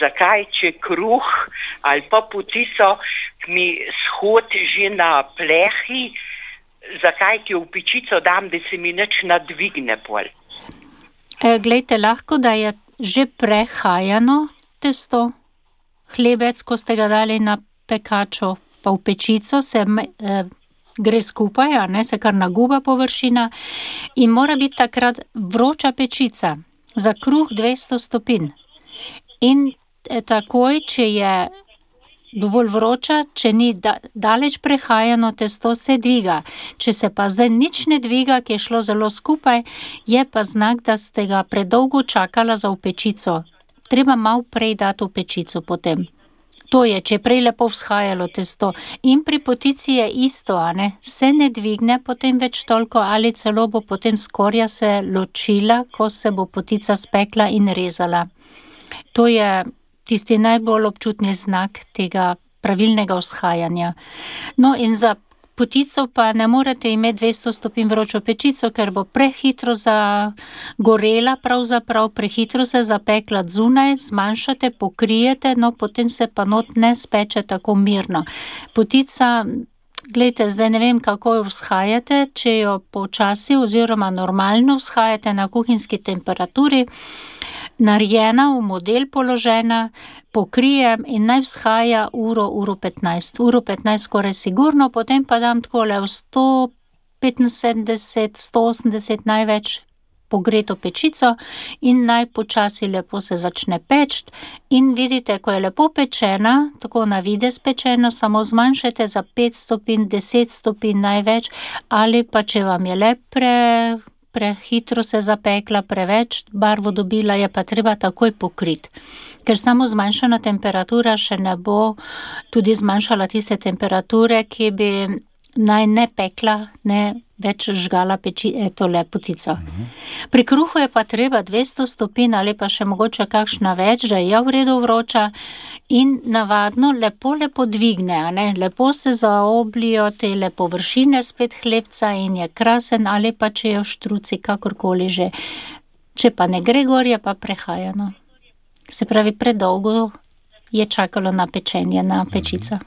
zakaj, če kruh ali pa potico, ki mi shod že na plehi, zakaj ki v pečico dam, da se mi nič nadvigne pol. Glejte, lahko, da je že prehajano testo, hlebec, ko ste ga dali na pekačo, pa v pečico se gre skupaj, a ne, se kar naguba površina in mora biti takrat vroča pečica za kruh 200 stopinj. In takoj, če je dovolj vroča, če ni daleč prehajano, testo se dviga. Če se pa zdaj nič ne dviga, ki je šlo zelo skupaj, je pa znak, da ste ga predolgo čakala za v pečico. Treba malo prej dati v pečico potem. To je, če je prej lepo vzhajalo testo. In pri potici je isto, a ne? Se ne dvigne potem več toliko ali celo bo potem skorja se ločila, ko se bo potica spekla in rezala. To je tisti najbolj občutni znak tega pravilnega vzhajanja. No in za potico pa ne morete imeti 200 stopinj vročo pečico, ker bo prehitro zagorela, pravzaprav prehitro se zapekla zunaj, zmanjšate, pokrijete, no potem se pa not ne speče tako mirno. Potica, glejte, zdaj ne vem, kako jo vzhajate, če jo počasi oziroma normalno vzhajate na kuhinjski temperaturi, narejena, v model položena, pokrijem in naj vzhaja uro 15. Uro 15 skoraj sigurno, potem pa dam takole v 175, 180 največ pogreto pečico in naj počasi lepo se začne peči. In vidite, ko je lepo pečena, tako na videz pečena, samo zmanjšajte za 5 stopinj, 10 stopinj največ, ali pa če vam je le prehitro se zapekla, preveč barvo dobila, je pa treba takoj pokriti. Ker samo zmanjšana temperatura še ne bo tudi zmanjšala tiste temperature, ki bi naj ne pekla, ne več žgala potico. Pri kruhu je pa treba 200 stopinj ali pa še mogoče kakšna več, da je v redu vroča in navadno lepo dvigne, a ne? Lepo se zaoblijo tele površine spet hlebca in je krasen, ali pa če je v štruci, kakorkoli že. Če pa ne gre gor, je pa prehajano. Se pravi, predolgo je čakalo na pečenje na pečico.